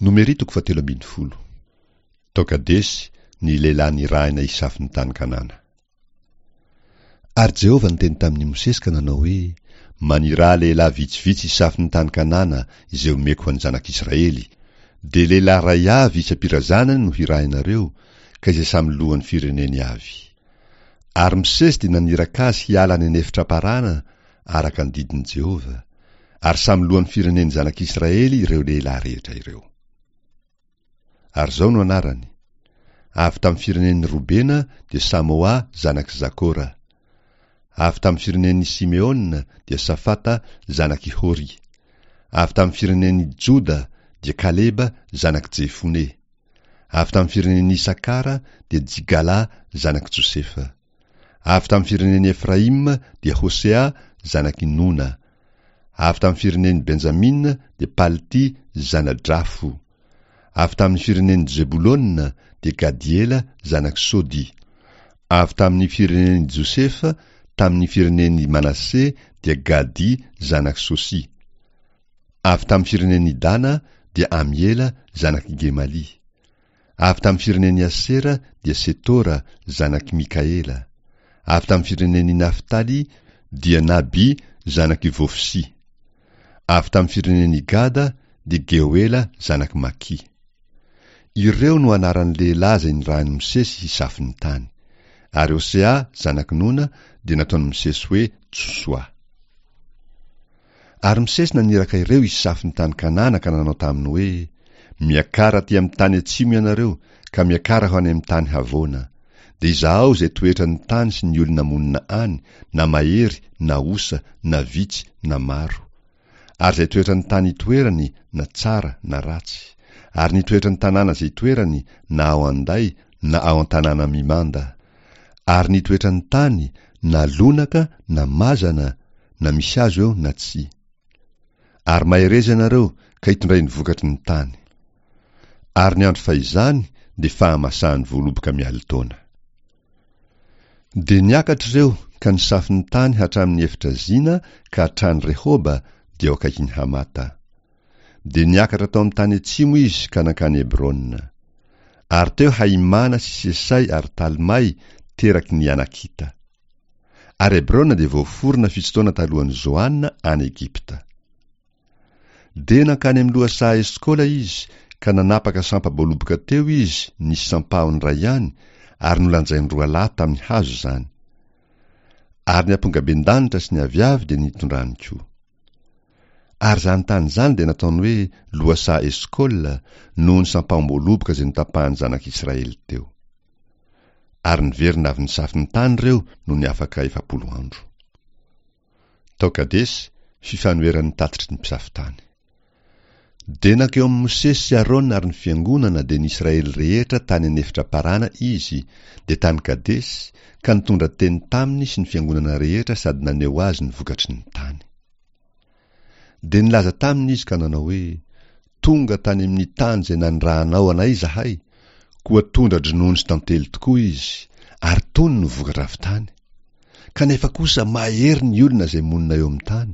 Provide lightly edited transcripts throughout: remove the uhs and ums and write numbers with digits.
Nomery toko fahatelo ambin'ny folo. Tao Kadesy ny lehilahy nirahina hisafo ny tany Kanana. Ary Jehovah niteny tamin'i Mosesy ka nanao hoe, Maniraha lehilahy vitsivitsy hisafo ny tany Kanana izay omeko ho an'ny zanak'Israely, dia lehilahy iray avy isam-pirazanany no hirahinareo, ka izay samy lohan'ny fireneny avy. Ary Mosesy dia naniraka azy hiala any an'efitra Parana araka ny didin'i Jehovah, ary samy lohan'ny firenen'ny zanak'Israely ireo lehilahy rehetra ireo. Ary izao no anarany, Avy tamin'ny firenen'i Robena dia Samoa zanak'i Zakora. Avy tamin'ny firenen'i Simeona dia Safata zanak'i Hori. Avy tamin'ny firenen'i Joda dia Kaleba zanak'i Jefone. Avy tamin'ny firenen'i Isakara dia Jigala zanak'i Josefa. Avy tamin'ny firenen'i Efraima dia Hosea zanak'i Nona. Avy tamin'ny firenen'i Benjamina dia Palty zana-dRafo. Avy tamin'ny firenen'i Zebolona dia Gadiela zanak'i Sody. Avy tamin'ny firenen'i Josefa tamin'ny firenen'i Manase dia Gady zanak'i Sosy. Avy tamin'ny firenen'i Dana dia Amiela zanak'i Gemalia. Avy tamin'ny firenen'i Asera dia Setora zanak'i Mikaela. Avy tamin'ny firenen'i Naftaly dia Naby zanak'i Vofsy. Avy tamin'ny firenen'i Gada dia Geoela zanak'i Maki. Ireo no anaran'ny lehilahy izay nirahin'i Mosesy hisafo ny tany. Ary Hosea zanak'i Nona dia nataon'i Mosesy hoe Josoa. Ary Mosesy naniraka ireo hisafo ny tany Kanana ka nanao taminy hoe, Miakara aty amin'ny tany atsimo ianareo, ka miakara ho any amin'ny tany havoana. Dia izahao izay toetra ny tany sy ny olona monina any, na mahery, na osa, na vitsy, na maro. Ary izay toetra ny tany itoerany, na tsara, na ratsy. Ary ny toetra ny tanàna izay itoerany, na ao an-day, na ao an-tanàna mimanda. Ary ny toetra ny tany, na lonaka, na mazana, na misy hazo eo na tsia. Ary mahereza ianareo ka hitondray ny vokatry ny tany. Ary ny andro fahizany dia fahamasahan'ny voaloboka mialin-taona. Dia niakatra ireo ka nisafo ny tany hatramin'ny efitra Zina ka hatrany Rehoba dia eo akaikin'i Hamata. Dia niakatra tao amin'ny tany atsimo izy ka nankany Hebrona. Ary teo Haimana sy Sesay ary Talmay teraky ny Anakita. Ary Hebrona dia voaforona fito taona talohan'i Zoana any Egypta. Dia nankany amin'ny lohasaha Eskola izy ka nanapaka sampa-boaloboka teo izy nisy sampahony iray ihany ary nolanjainy roa lahy tamin'ny hazo izany. Ary ny ampongabendanitra sy ny aviavy dia nitondrany koa. Ary izany tany izany dia nataony hoe lohasaha Eskola noho ny sampahom-boaloboka izay notapahan'ny zanak'Israely teo. Ary niverina avy nisafo ny tany ireo nony afaka 40 andro. Tao Kadesy, fifanoheran'ny tatitry ny mpisafo tany. Dia nankeo amin'i Mosesy sy Arona ary ny fiangonana dia ny Israely rehetra tany an'efitra Parana izy, dia tany Kadesy, ka nitondra teny taminy sy ny fiangonana rehetra sady naneho azy ny vokatry ny tany. Dia nilaza taminy izy ka nanao hoe, Tonga tany amin'ny tany izay nanirahanao anay izahay, koa tondra-dronono sy tantely tokoa izy, ary tony no vokatra avy tany. Kanefa kosa mahery ny olona izay monina eo amin'ny tany,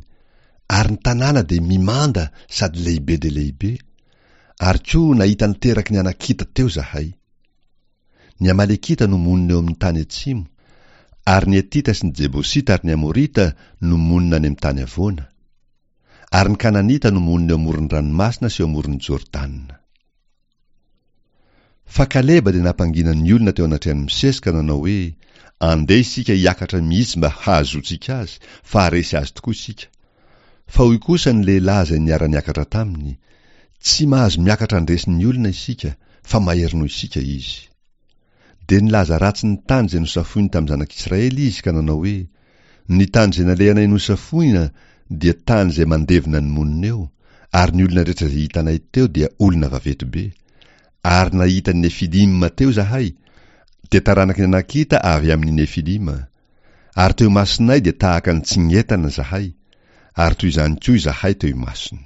ary ny tanàna dia mimanda sady lehibe dia lehibe, ary koa nahita ny teraky ny Anakita teo izahay. Ny Amalekita no monina eo amin'ny tany atsimo, ary ny Hetita sy ny Jebosita ary ny Amorita no monina any amin'ny tany havoana. Ary ny Kananita no monina eo amoron'ny ranomasina sy eo amoron'i Jordana. Fa Kaleba dia nampangina ny olona teo anatrehan'i Mosesy ka nanao hoe, Andeha isika hiakatra mihitsy mba hahazoantsika azy, fa haharesy azy tokoa isika. Fa hoy kosa ny lehilahy izay niara-niakatra taminy, Tsy mahazo miakatra handresy ny olona isika, fa mahery noho isika izy. Dia nilaza ratsy ny tany izay nosafoiny tamin'ny zanak'Israely izy ka nanao hoe, Ny tany izay nalehanay nosafoina dia tany izay mandevona ny monina eo, ary ny olona rehetra izay hitanay teo dia olona vaventy be. Ary nahita ny Nefilima teo izahay, dia taranaky ny Anakita avy amin'ny Nefilima. Ary teo imasonay dia tahaka ny tsingetana izahay, ary toy izany koa izahay teo imasony.